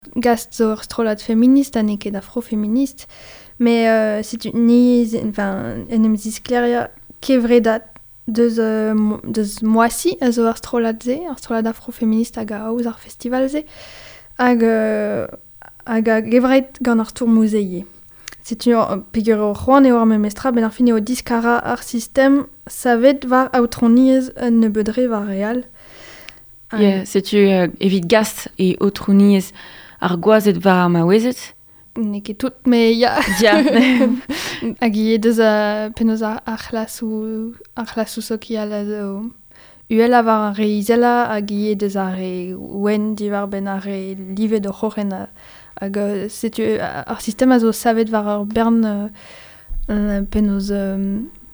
Gast zo ur strollad feminist ha n'eo ket afrofeminist, met setu ni enfin, en em zisklêriañ kevredad deus, deus Moissy a zo ar strollad-se, ar strollad afrofeminist hag a aoz ar festival-se, hag, hag a-gevret gant ar stourmoù-se ivez. Setu peogwir eo c'hoant eo ar memestra, benn ar fin eo diskarañ ar sistem savet war aotrouniezh un nebeud re war re all. Yeah, setu evit gast e aotrouniezh ar gwazed war ar maouezed. N'eo ket tout, met ya. Ya. Hag ivez deus penaos ar c'hlasoù ar c'hlasoù sokial a zo uhelañ war ar re izelañ hag ivez deus ar re wenn diwar-benn ar re livet o c'hroc'hen. Hag setu ar sistem a zo savet war ur bern penaos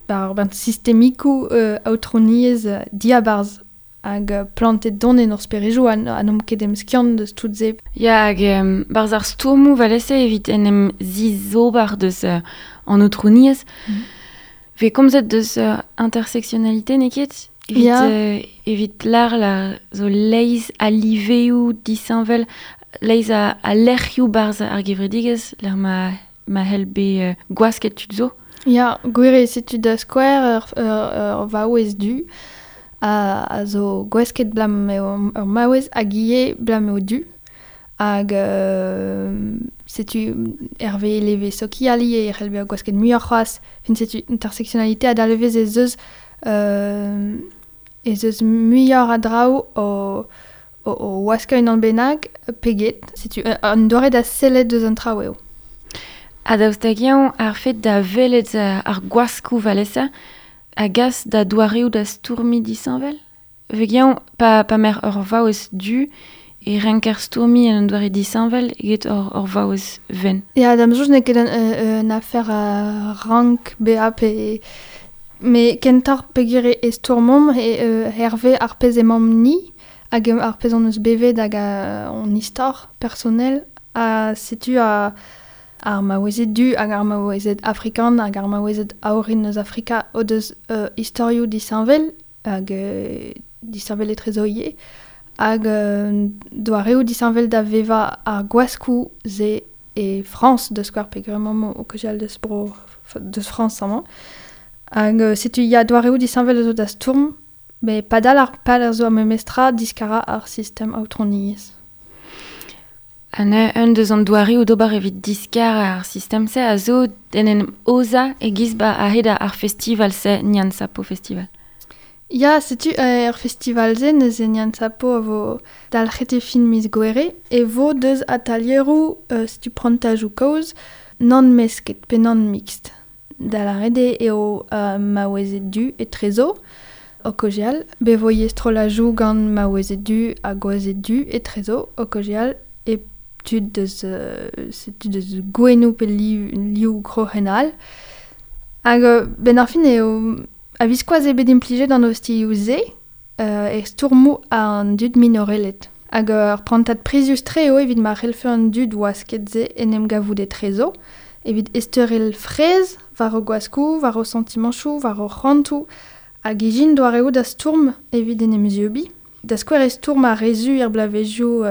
war ur bern sistemikoù aotrouniezh diabarzh hag plantet don en hor sperejoù ha n'omp ket emskiant deus tout se. Ya, hag barzh ar stourmoù valese evit en em zizober deus an aotrouniezh, vez komzet deus intersectionnalité, n'eo ket? Evit, Ya. Evit lar la zo leizh a liveoù disheñvel, leizh a lec'hioù barzh ar gevredigezh, lec'h ma c'hell bet gwasket tud zo. Ya, gwir eo, setu da skouer ur vaouez du a zo gwasket 'blam eo ur maouez hag ivez 'blam eo du. Hag setu hervez leve sokial ivez e c'hell bezañ gwasket muioc'h c'hoazh. Fin setu intersectionnalité a dalvez ez eus muioc'h a draoù o waskañ unan bennak pe get. Setu un doare da sellet deus an traoù eo. Ha daoust hag-eñ ar fed da welet ar gwaskoù valese a gas da doareoù da stourmiñ disheñvel? Veg-eñ pa m'er ur vaouez du e renker stourmiñ en un doare disheñvel eget ur vaouez wenn. Ya, da'm soñj n'eo ket un afer a rank bezañ pe... Met kentoc'h peogwir e stourmomp hervez ar pezh emaomp-ni hag ar pezh hon eus bevet hag hon istor personel. Ha setu ar maouezed du hag ar maouezed afrikan hag ar maouezed a orin eus Afrika o deus istorioù disheñvel hag disheñvel etrezo ivez hag doareoù disheñvel da vevañ ar gwaskoù-se e Frañs da skouer peogwir emaomp o kaozeal deus bro deus Frañs amañ. Hag setu ya doareoù disheñvel a zo da stourm met padal ar pal a zo ar memestra diskarañ ar sistem aotrouniezh. Ha neuze un deus an doareoù d'ober evit diskar ar sistem-se a zo en em aozañ e-giz ba a-hed ar festival-se, Nyansapo Festival. Ya, setu er festival-se neuze Nyansapo a vo dalc'het e fin miz Gouere e vo deus atalieroù setu prantajoù kaoz nann mesket pe nann mixt. Da lâret eo maouezed du etrezo o kaozeal, bet vo ivez strollajoù gant maouezed du ha gwazed du etrezo o kaozeal e tud deus setu deus gouennoù pe liv kroc'hen all. Hag benn ar fin eo a-viskoazh eo bet implijet an ostilhoù-se e stourmoù an dud minorelet. Hag ur prantad prizius-tre eo evit ma c'hellfe an dud wasket-se en em gavout etrezo, evit ezteurel fraezh war o gwaskoù, war o santimanchoù, war o c'hoantoù, hag ijin doareoù da stourm evit en em zieubiñ. Da skouer e stourm ar re zu er bloavezhioù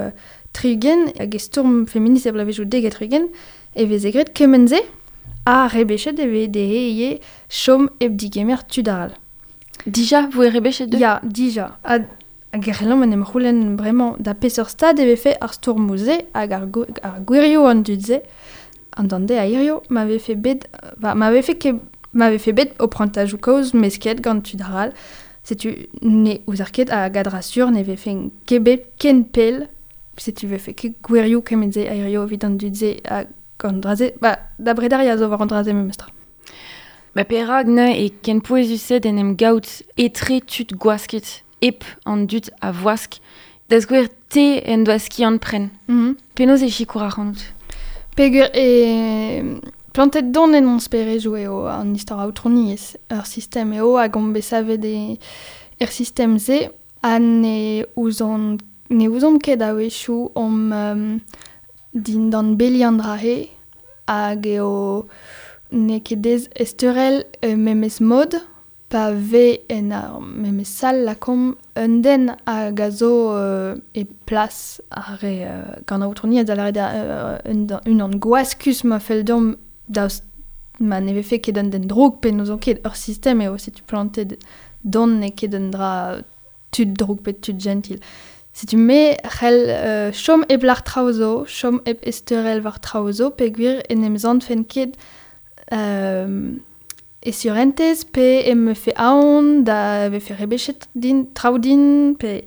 60 hag e stourm feminist er bloavezhioù 70 e veze graet kement-se ha rebechet e veze dezhe ivez chom hep digemer tud all. Dija 'voe rebechet dezhe? Ya, dija. Hag e c'hellomp en em c'houlenn bremañ da peseurt stad e vefe ar stourmoù-se hag ar gwirioù an dud-se an dande a hirio ma vefe bet ma vefe ket ma vefe bet o prantajoù kaoz mesket gant tud arall. Setu ne ouzer ket hag a-dra-sur ne vefe ket bet ken pell. Setu vefe ket gwirioù kement-se a hirio evit an dud-se hag an dra-se. Ba, da brederiañ a zo war an dra-se memestra. Ba perak neuze e ken pouezus-se d'en em gaout etre tud gwasket, hep an dud a voask. Da skouer te en doa skiant-pren. Penaos e sikour ac'hanout? Peogwir e plantet don en hon sperejoù eo an istor aotrouniezh. Ur sistem eo hag omp bet savet er sistem-se ha ne ouzomp ket a-wechoù omp dindan beli an dra-se hag eo n'eo ket aes ezteurel memes mod Pa ve en ar memes sal lakomp un den hag a zo e plas ar re gant aotrouniezh da lâret unan gwaskus ma fell deomp daoust ma ne vefe ket un den drouk pe n'ouzon ket ur sistem eo setu plantet don n'eo ket un dra tud drouk pe tud gentil. Setu me c'hell chom hep lar traoù zo, chom hep esteurel war traoù zo peogwir en em zantfen ket e surentez pe em mefe aon da vefe rebechet din traoù din pe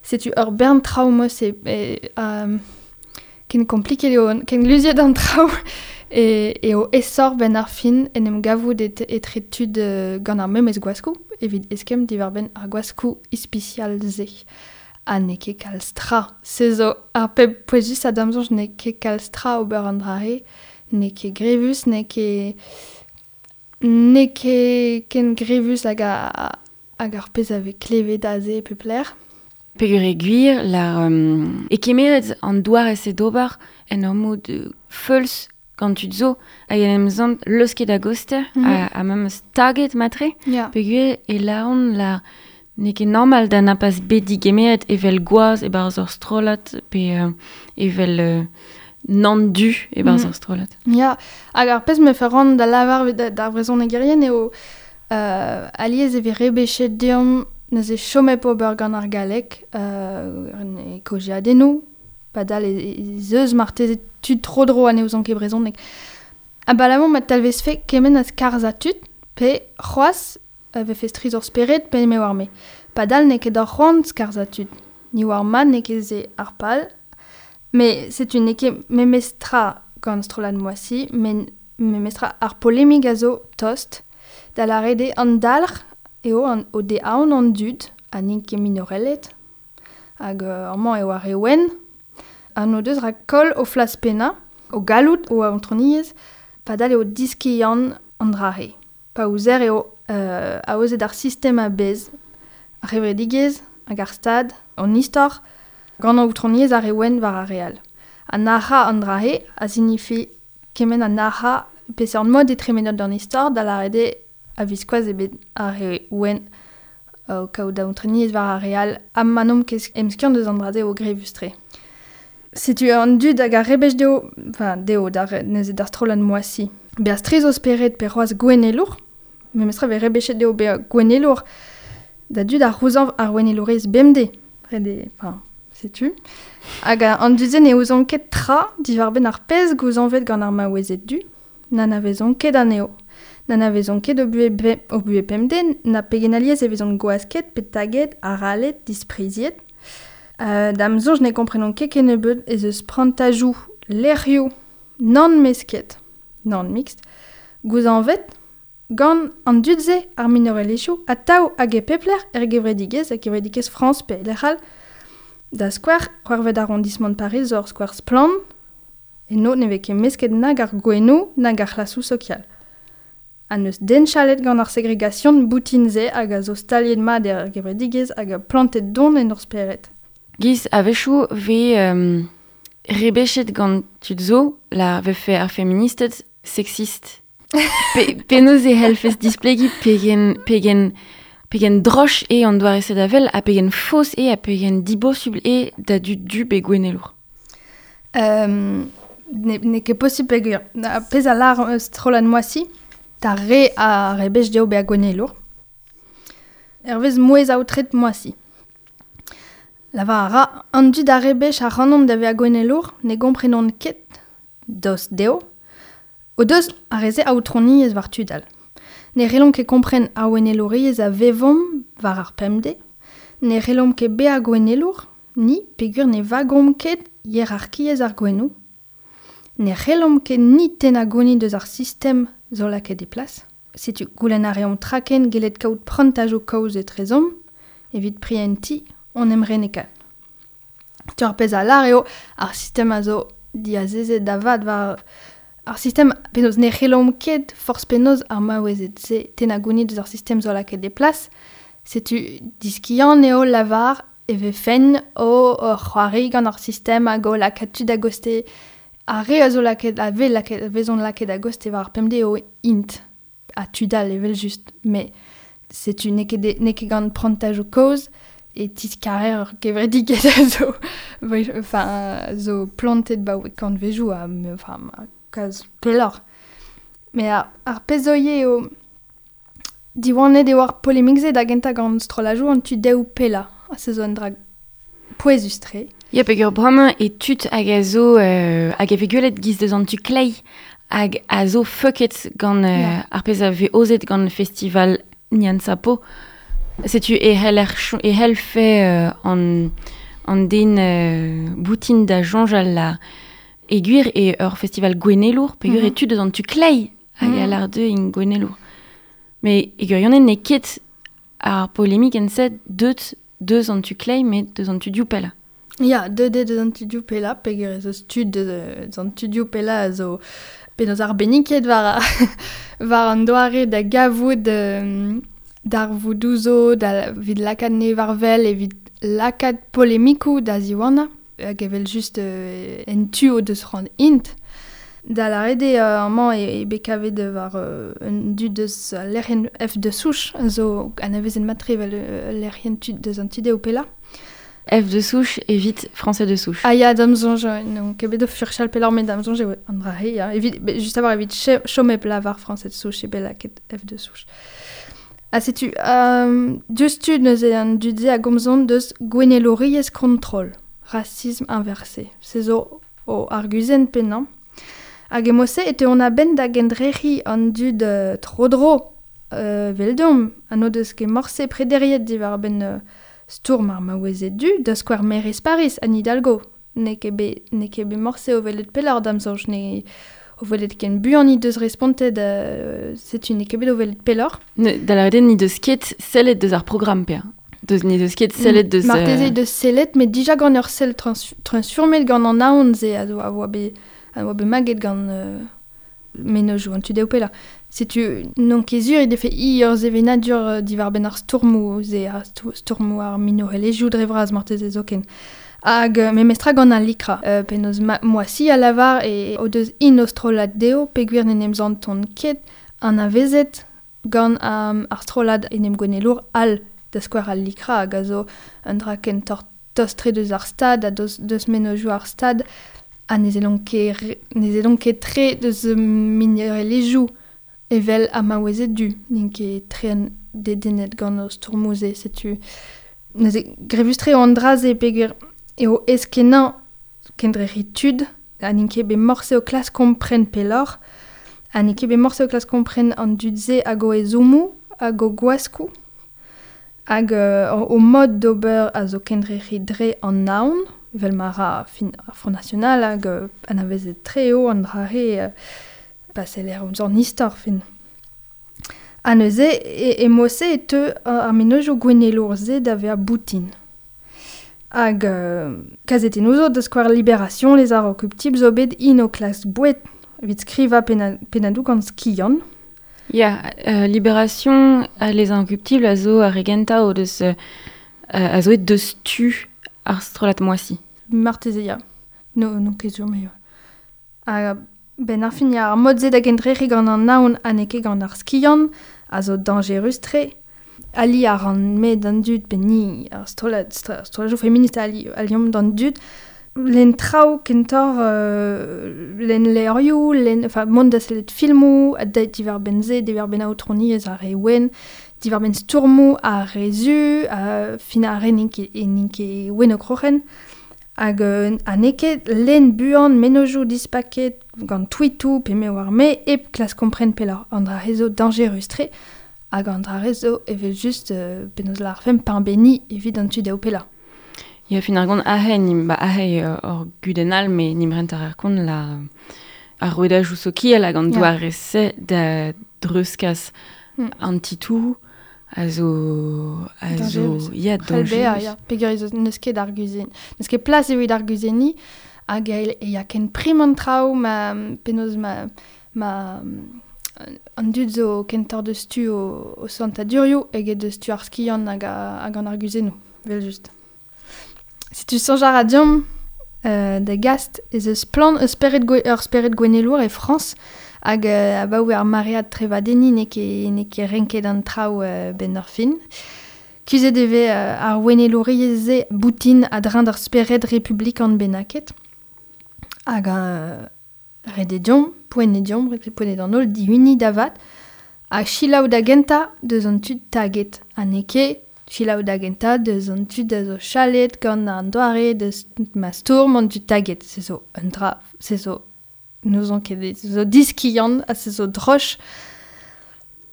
setu ur bern traoù mos e ken kompliket eo ken luziet an traoù eo aesoc'h benn ar fin en em gavout etre tud gant ar memes gwaskoù evit eskemm diwar-benn ar gwaskoù ispisial-se. Ha n'eo ket kalz tra. Se zo ar pep pouezusañ da'm soñj n'eo ket kalz tra ober an dra-se, n'eo ket grevus, n'eo ket n'eo ket ken grevus hag hag ar pezh a vez klevet aze e pep lec'h. Peogwir eo gwir lar e kemeret an doare-se d'ober en ur mod feuls gant tud zo hag en em sant leusket a-gostez ha memes taget matre. Peogwir e lâran lar n'eo ket normal da na pas bet digemeret evel gwaz e-barzh ur strollad pe evel nann du e-barzh ur strollad. Ya, hag ar pezh me ran da lavar d'ar vrezhonegerien eo alies e vez rebechet deomp neuze chom hep ober gant ar galleg e kaozeadennoù, padal ez eus marteze tud tro-dro ha ne ouzont ket brezhoneg. Abalamour ma talvezfe kement a skarzhañ tud pe c'hoazh vefe strizh hor spered pe me oar me. Padal n'eo ket hor c'hoant skarzhañ tud. Ni oar mat n'eo ket se ar pal. Mais setu n'eo ket memes tra gant strollad Moissy, met memes tra ar polemik a zo tost da lâret eo an dalc'h eo an o de aon an dud ha n'int ket minoreled hag amañ eo ar re wenn ha n'o deus rak koll o flas pennañ, o galloud, o aotrouniezh, padal eo diskiant an dra-se. Pa ouzer eo aozet ar sistem a-bezh, ar c'hevredigezh hag ar stad, an istor, gant aotrouniezh ar re wenn war ar re all. Ha nac'hañ an dra-se a signifi kement ha nac'hañ peseurt mod e tremenot d'an istor da lâret eo a-viskoazh eo bet ar re wenn o kaout aotrouniezh war ar re all ha ma n'omp ket emskiant eus an dra-se eo grevus-tre. Setu an dud hag ar rebech dezho, enfin dezho d'ar neuze d'ar strollad Moissy. Bezañ strizh o spered pe c'hoazh gouennelour, memestra vez rebechet dezho bezañ gouennelour da dud a c'houzañv ar ouennelourezh bemdez. Ret eo, enfin, setu. Hag an dud-se ne ouzont ket tra diwar-benn ar pezh gouzañvet gant ar maouezed du, n'anavezont ket anezho. N'anavezont ket o buhez pemdez, na pegen alies e vezont gwasket pe taget, arallet, dispriziet. Da'm soñj ne komprenont ket kennebeut ez eus prantajoù lec'hioù nann-mesket, nann-mixt, gouzañvet gant an dud-se ar minorelezhioù atav hag e pep lec'h er gevredigezh, er gevredigezh Frañs pe lec'h all. Da skouer, c'hwec'hvet arrondissement Paris zo ur skouer splann, eno ne vez ket mesket nag ar gouennoù nag ar c'hlasoù sokial. Ha n'eus den chalet gant ar segregasion boutin-se hag a zo staliet mat er gevredigezh hag a plantet don en hor spered. Giz a-wechoù vez rebechet gant tud zo la vefe ar feministed sexist. Penaos e c'hellfes displegiñ pegen droch eo an doare-se da wel ha pegen faos eo ha pegen dibosubl eo da dud du pe gouennelour. N'eo ket posubl peogwir. Pezh a lâr strollad Moissy, d'ar re a rebech dezho bezañ gouennelour. Hervez mouezh aotret Moissy. Lavar a ra an dud a rebech ac'hanomp da vezañ gouennelour ne gomprenont ket daoust dezho o deus ar re-se aotrouniezh war tud all. Ne c'hellomp ket kompren ar ouennelouriezh a vevomp war ar pemdez, ne c'hellomp ket bezañ gouennelour, ni peogwir ne vagomp ket hierarkiezh ar gouennoù, ne c'hellomp ket ni tennañ gounid eus ar sistem zo lakaet e plas. Setu goulenn a reomp traken gellet kaout prantajoù kaoz etrezomp evit prientiñ on emrenekat. Setu ar pezh a lâr eo ar sistem a zo diazezet da vat war ar sistem penaos ne c'hellomp ket forzh penaos ar maouezed-se tennañ gounid eus ar sistem zo lakaet e plas. Setu diskiant eo lavar e vefen o c'hoari gant ar sistem hag o lakaat tud a-gostez. Ar re a zo lakaet a vez lakaet vezont lakaet a-gostez war ar pemdez eo int ha tud all evel-just. Met Setu n'eo ket n'eo ket gant prantajoù kozh e tiskarer ur gevredigezh a zo enfin zo plantet 'baoe kantvejoù ha enfin kalz pelloc'h. Met ar pezh zo ivez eo diwanet eo ar polemik-se da gentañ gant strollajoù an tu dehoù pellañ ha se zo un dra pouezus-tre. Ya peogwir bremañ e tud hag a zo hag a vez gwelet giz deus an tu kleiz hag a zo feuket gant ar pezh a vez aozet gant festival Nyansapo. Setu e c'heller e c'hellfe an an den boutin da soñjal la e gwir eo ur festival gouennelour peogwir e tud eus an tu kleiz hag a lâr dezhe int gouennelour. Met e gwirionez n'eo ket ar polemikenn-se deut deus an tu kleiz met deus an tu dioù pellañ. Ya, deuet eo deus an tu dioù pellañ peogwir ez eus tud deus an tu dioù pellañ a zo penaos arbenniket war war an doare da gavout darvoudoù zo da evit lakaat anezhe war-wel, evit lakaat polemikoù da ziwanañ hag evel-just en tu o deus c'hoant int. Da lâret eo amañ eo bet kavet war un dud eus al lec'hienn F de Souche a zo anavezet mat-tre evel ul lec'hienn tud deus an tu dehou pellañ. F de Souche evit Français de Souche. Ah ya, da'm soñj, n'on ket bet o furchal pelloc'h met da'm soñj eo an dra-se, ya. Evit, just a-walc'h evit chom hep lavar Français de Souche eo bet lakaet F de Souche. Ha setu, diouzhtu neuze an dud-se a gomzont deus gouennelouriezh kontrol, racisme inversé. Se zo o arguzenn pennañ. Hag e mod-se e teuont a-benn da gendrec'hiñ an dud tro-dro eveldomp ha n'o deus ket morse prederiet diwar-benn stourm ar maouezed du, da skouer maerez Pariz, Anne Hidalgo. N'eo ket bet, n'eo ket bet morse o welet pelloc'h da'm soñj, ne o welet ken buan he deus respontet setu n'eo ket bet o welet pelloc'h. Da lâret eo n'he deus ket sellet deus ar programm pe'a. Deus n'he deus ket sellet deus... Marteze he deus sellet, met dija gant ur sell transfurmet gant an aon-se a zo a oa bet, a oa bet maget gant mennozhioù an tu dehou pellañ. Setu n'on ket sur he defe hi ur sevenadur diwar-benn ar stourmoù-se, ar stourmoù ar minorelezhioù dre vras marteze zoken. Hag memestra gant al likra, penaos Moissy a lavar e o deus int o strollad dezho peogwir n'en em santont ket anavezet gant ar strollad enemgouennelour all, da skouer al likra hag a zo un dra kentoc'h tost-tre deus ar stad ha deus mennozhioù ar stad ha ne sellont ket ne sellont ket tre deus minorelezhioù evel ar maouezed du n'int ket tre dedennet gant o stourmoù-se setu neuze grevus-tre eo an dra-se peogwir eo aes-kenañ kendrec'hiñ tud ha n'int ket bet morse o klask kompren pelloc'h ha n'int ket bet morse o klask kompren an dud-se hag o ezhommoù hag o gwaskoù Hag o mod d'ober a zo kendrec'hiñ dre an aon, evel ma ra fin ar Front National hag anavezet-tre eo an dra-se pa seller ouzh an istor fin. Ha neuze e mod-se e teu ar mennozhioù gouennelour-se da vezañ boutin. Hag kazetennoù zo, da skouer Libération, Les Inrockuptibles zo bet int o klask boued evit skrivañ pennadoù gant skiant. Ya, Libération ha Les Inrockuptibles a zo ar re gentañ o deus a zo aet deus tu ar strollad Moissy. Marteze ya. No, n'on ket sur me. Ha benn ar fin ya, ar mod-se da gendrec'hiñ gant an aon ha n'eo ket gant ar skiant a zo dañjerus-tre. Ali a ran me d'an dud, pe ni, ar strollad, strolladoù feminist ali, aliomp d'an dud, lenn traoù kentoc'h lenn levrioù, lenn, enfin mont da sellet filmoù, ha diwar-benn se, diwar-benn aotrouniezh ar re wenn, diwar-benn stourmoù ar re zu, fin ar re n'int ket, n'int ket wenn o kroc'hen. Hag ha n'eo ket lenn buan mennozhioù dispaket gant tweetoù pe me oar me hep klask kompren pelloc'h. An dra-se zo dañjerus-tre hag an dra-se zo evel-just penaos lârfemp pañ-benniñ evit an tu dehou pellañ. Ya, fin ar gont aze, nim, ba aze ur gudenn all, met nim rent ar kont la ar rouedajoù sokial hag an doare-se da dreuzkas an titouroù a zo a zo ya dañjerus. Ya, peogwir n'eus ket arguzenn, n'eus ket plas evit arguzenniñ hag e ya ken prim an traoù ma penaos ma ma an dud zo kentoc'h deus tu o santadurioù eget deus tu ar skiant hag hag an arguzennoù, evel-just. Setu soñj a ra deomp da gast ez eus splann ur spered gouennelour e Frañs Hag abaoe ar maread trevadenniñ n'eo ket renket an traoù benn ar fin. Kuzhet e vez ar ouennelouriezh-se boutin a-dreñv d'ar spered republikan bennaket. Hag ret eo deomp, poent eo deomp, poent eo d'an holl dihuniñ da vat, ha selaou da gentañ deus an tud taget. Ha n'eo ket selaou da gentañ deus an tud a zo chalet gant an doare deus ma stourm an tud taget. Se zo un dra, se zo n'ouzon ket, se zo diskiant ha se zo droch.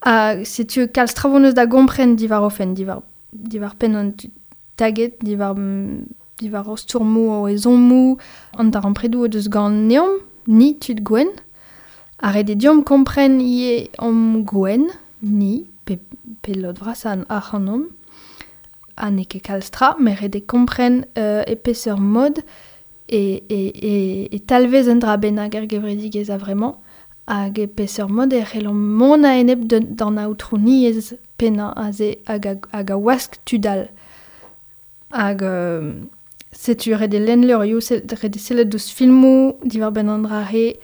Ha setu kalz traoù hon eus da gompren diwar o fenn, diwar penn an tud taget, diwar o stourmoù, o ezhommoù, an darempredoù o deus ganeomp, ni tud gwenn. Ha ret eo deomp kompren ivez omp gwenn, ni, pe lod vrasañ ac'hanomp. Ha n'eo ket kalz tra, met ret eo kompren e peseurt mod e talvez un dra bennak er gevredigezh a-vremañ, hag e peseurt mod e c'hellomp mont a-enep d'an aotrouniezh pennañ aze hag a wask tud all. Hag setu ret eo lenn levrioù, ret eo sellet ouzh filmoù diwar-benn an dra-se,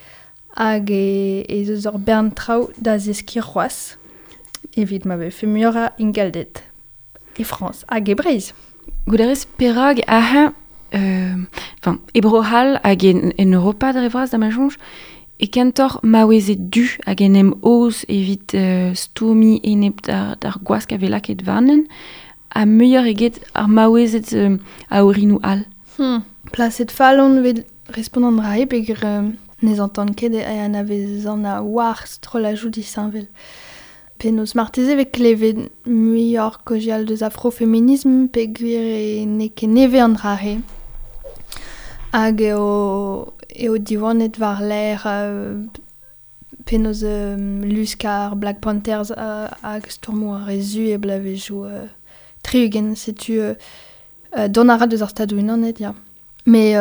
hag ez eus ur bern traoù da zeskiñ c'hoazh evit ma vefe muioc'h a ingalded e Frañs hag e Breizh. Gouderez perak aze, enfin, e Bro-C'hall hag en Europa dre vras da ma soñj, e kentoc'h maouezed du hag en em aoz evit stourmiñ enep d'ar gwask a vez lakaet warnen, ha muioc'h eget ar maouezed a orinoù all. Plaset fall on evit respont an dra-se peogwir ne zantan ket e anavezan a war strollajoù disheñvel. Penaos marteze e vez klevet muioc'h kaozeal deus afrofeminism peogwir n'eo ket nevez an dra-se. Hag eo diwanet war-lerc'h penaos lusk ar Black Panthers hag stourmoù ar re zu e bloavezhioù 60, setu dont a ra deus ar Stadoù-Unanet, ya. Mais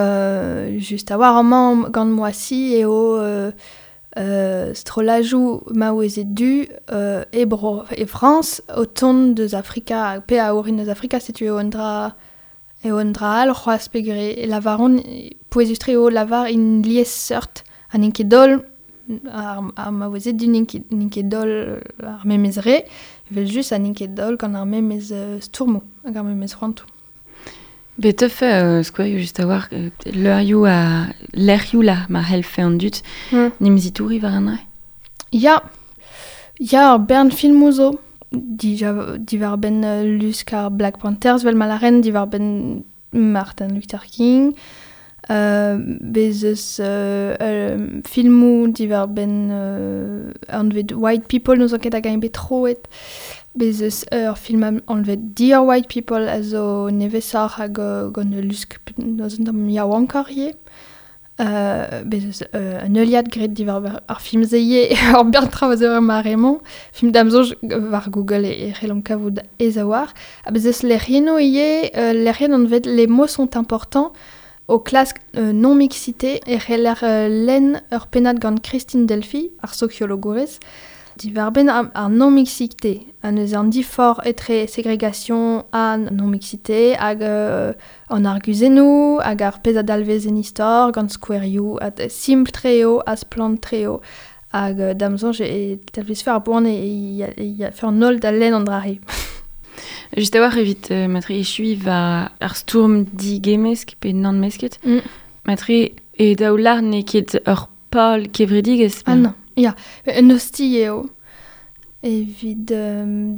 just a-walc'h amañ gant Moissy eo strollajoù maouezed du e bro e Frañs o tont deus Afrika pe a orin deus Afrika, setu eo un dra all c'hoazh peogwir e lavaront pouezus-tre eo lavar int liesseurt ha n'int ket holl ar maouezed du n'int ket holl ar memes re, evel-just ha n'int ket holl gant ar memes stourmoù hag ar memes c'hoantoù. Bet tefe skouerioù just a-walc'h leurioù ha lec'hioù la ma c'hellfe an dud n'em zitouri war an dra? Ya, ya ur bern filmoù zo diwar-benn lusk ar Black Panthers vel ma lâren, diwar-benn Martin Luther King, bez eus filmoù diwar-benn anvet White People, n'ouzon ket hag eñ bet troet. Bez eus ur film anvet Dear White People a zo nevesoc'h hag gant ul lusk n'ouzon tamm yaouankoc'h ivez. Bez eus un heuliad graet diwar ar film-se ivez, ur bern traoù a zo er mare-mañ. Film da'm soñj war Google e c'hellomp kavout aes a-walc'h. Ha bez eus lec'hiennoù ivez, lec'hienn anvet Les mots sont importants, o klask non-mixité e c'heller lenn ur pennad gant Christine Delphy, ar sokiologourez, diwar-benn ar non-mixité, an eus an diforc'h etre ségrégation ha non-mixité, hag an arguzennoù, hag ar pezh a dalvez en istor, gant skouerioù, ha simpl-tre eo, ha splann-tre eo, hag da'm soñj e talvez fer ar boan e fer an holl da lenn an dra-se. Just a-walc'h evit matre echuiñ war ar stourm digemmesk pe nann-mesket, matre e daoular n'eo ket ur pal kevredigezh. Ah non, ya, un ostilh eo. Evit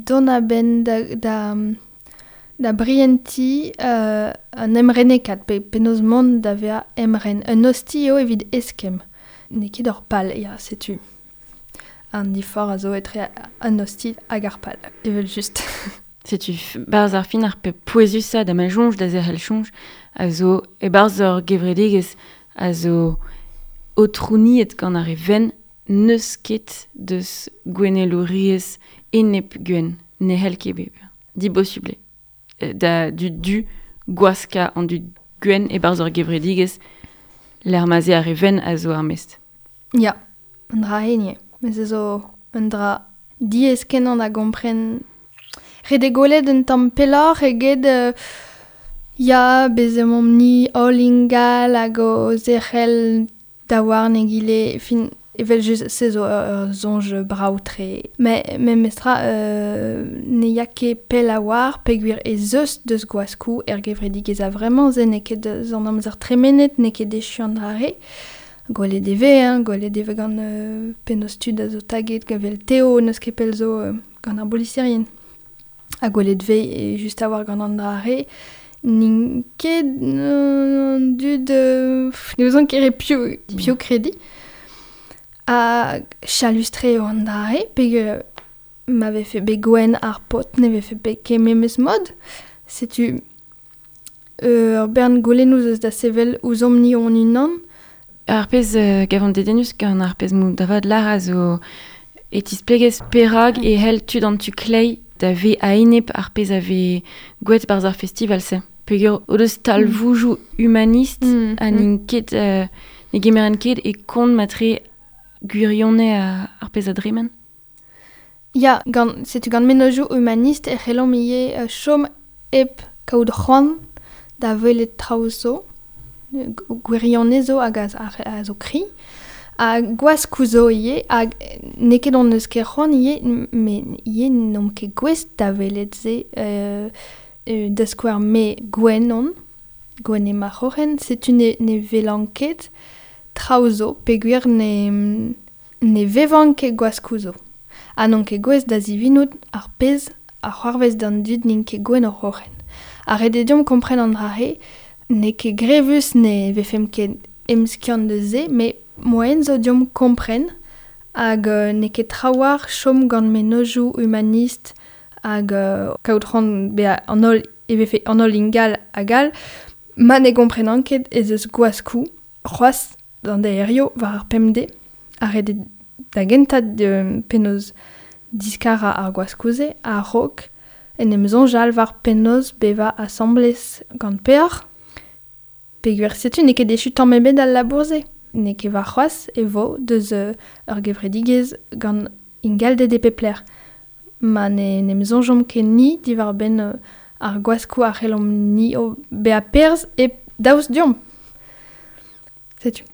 dont a-benn da brientiñ an emrenekat, pe penaos mont da vezañ emren. Un ostilh eo evit eskemm. N'eo ket ur pal, ya, setu. An diforc'h a zo etre an ostilh hag ar pal, evel-just. Setu barzh ar fin ar pep pouezusañ da ma soñj, da zerc'hel soñj, a zo e barzh ur gevredigezh a zo aotrouniet gant ar re venn n'eus ket deus gouennelouriezh enep gwenn, ne c'hell ket bevañ. Dibosubl eo. Da dud du gwaskañ an dud gwenn e barzh ur gevredigezh lec'h ma 'z eo ar re venn a zo ar mest. Ya, un dra henie. Met se zo un dra diaes kenañ da gompren. Ret eo gwelet un tamm pelloc'h eget ya, bez emaomp-ni holl ingal hag o zerc'hel daouarn egile. Fin, Evel just se zo ur soñj brav-tre. Met memestra ne ya ket pell a-walc'h peogwir ez eus deus gwaskoù er gevredigezh a-vremañ, se n'eo ket deus an amzer tremenet, n'eo ket echu an dra-re. Gwelet e vez, hein, gwelet e vez gant penaos tud a zo taget evel Teo n'eus ket pell zo gant ar boliserien. Ha gwelet e vez just a-walc'h gant an dra-re. N'int ket an dud... ne ouzon ket re piv krediñ. Ha chalus-tre eo an dra-re, peogwir ma vefe bet gwenn ar paotr ne vefe bet ket memes mod. Setu ur bern goulennoù eus da sevel ouzhomp-ni hon-unan. Ar pezh gavan dedennus gant ar pezh mou da vat lar a zo e tisplegez perak e c'hell tud an tu kleiz da ve a-enep ar pezh a vez gwelet barzh ar festival-se. Peogwir o deus talvoudoù humanist ha n'int ket ne gemerent ket e kont matre gwirionez ar pezh a dremen. Ya, gant, setu gant mennozhioù humanist e c'hellomp ivez chom hep kaout c'hoant da welet traoù zo, gwirionez zo hag a zo kri, ha gwaskoù zo ivez, hag n'eo ket hon eus ket c'hoant ivez, met ivez n'omp ket gouest da welet se da skouer me gwenn on, gwenn eo ma c'horren, setu ne welan ket traoù zo, peogwir ne vevan ket gwaskoù zo. Ha n'on ket gouest da zivinout ar pezh a c'hoarvez d'an dud n'int ket gwenn o c'horren. Ha ret eo deomp kompren an dra-se, n'eo ket grevus ne vefemp ket emskiant deus se, met moaien zo deomp kompren hag n'eo ket trawalc'h chom gant mennozhioù humanist hag kaout c'hoant bezañ an holl e vefe an holl ingal hag all, ma ne gomprenan ket ez eus gwaskoù c'hoazh d'an deirioù war ar pemdez, ha ret eo da gentañ penaos diskarañ ar gwaskoù-se a-raok en em soñjal war penaos bevañ asambles gant peoc'h. Peogwir setu n'eo ket echu tamm ebet al labour-se. N'eo ket warc'hoazh e vo deus ur gevredigezh gant ingalded e pep lec'h. Ma ne em soñjomp ket ni diwar-benn ar gwaskoù a c'hellomp ni o bezañ perzh e daoust deomp. Setu.